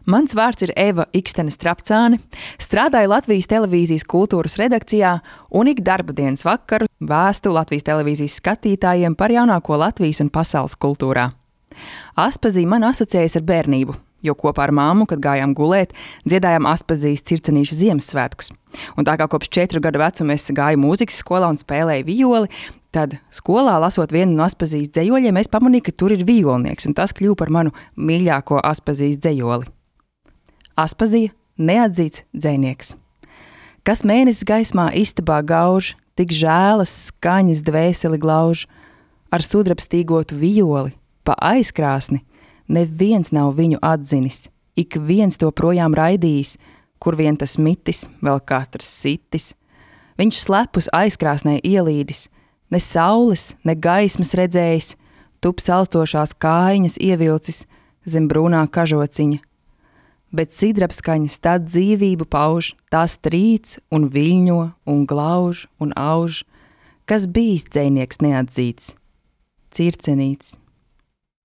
Mans vārds ir Eva Ikstene Strapcāne, strādāju Latvijas televīzijas kultūras redakcijā un ik darba dienas vakaru vēstu Latvijas televīzijas skatītājiem par jaunāko Latvijas un pasaules kultūrā. Aspazī man asociējas ar bērnību, jo kopā ar māmu, kad gājām gulēt, dziedājām Aspazīs Circenīša Ziemassvētkus. Un tā kā kopš 4 gadu vecuma es gāju mūzikas skolā un spēlēju violi, tad skolā, lasot vienu no Aspazīs dzejoļiem, es pamanīju, ka tur ir vijolnieks, un tas kļuva par manu mīļāko Aspazīs dzejoli. Aspazija neatzīts dzejnieks. Kas mēnesis gaismā istabā gauž, tik žēlas skaņas dvēseli glauž, ar sudrabstīgotu vijoli, pa aizkrāsni, neviens nav viņu atzinis, ik viens to projām raidījis, kur vien tas mitis, vēl katrs sitis. Viņš slepus aizkrāsnē ielīdis, ne saules, ne gaismas redzējis, tup salstošās kājiņas ievilcis zem brūnā kažociņa. Bet sidrabskaņas tad dzīvību pauž, tās trīc un viļņo un glauž un auž, kas bijis dzejnieks neatzīts. Circenīts.